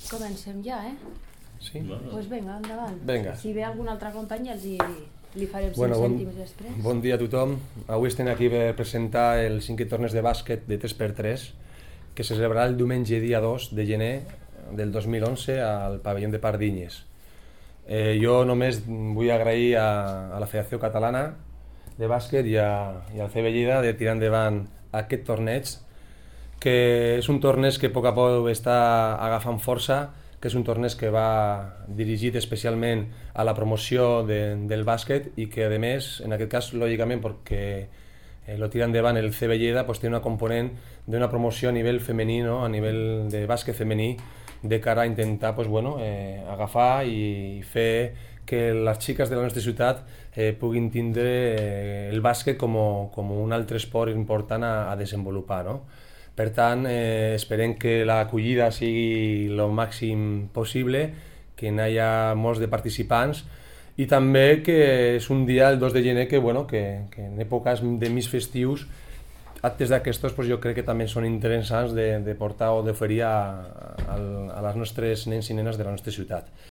Comencem ja, Sí? Doncs vinga, endavant. Vinga. Si ve algun altre company li farem 5 cèntims després. Bon dia a tothom. Avui estem aquí per presentar el 5è torneig de bàsquet de 3x3 que se celebrarà el diumenge dia 2 de gener del 2011 al pavelló de Pardinyes. Jo només vull agrair a la Federació Catalana de Bàsquet i al CB Lleida de tirar endavant aquest torneig, que és un torneig que a poc a poc està agafant força, que és un torneig que va dirigit especialment a la promoció del bàsquet i que, a més, en aquest cas, lògicament, perquè lo tira endavant el CB Lleida, pues, té una component d'una promoció a nivell femení, no? A nivell de bàsquet femení, de cara a intentar pues, agafar i fer que les xiques de la nostra ciutat puguin tindre el bàsquet com un altre esport important a desenvolupar, no? Per tant, esperem que l'acollida sigui el màxim possible, que hi hagi molts de participants i també que és un dia, el 2 de gener, que en èpoques de més festius, actes d'aquestos jo crec que també són interessants de portar o d'oferir a les nostres nens i nenes de la nostra ciutat.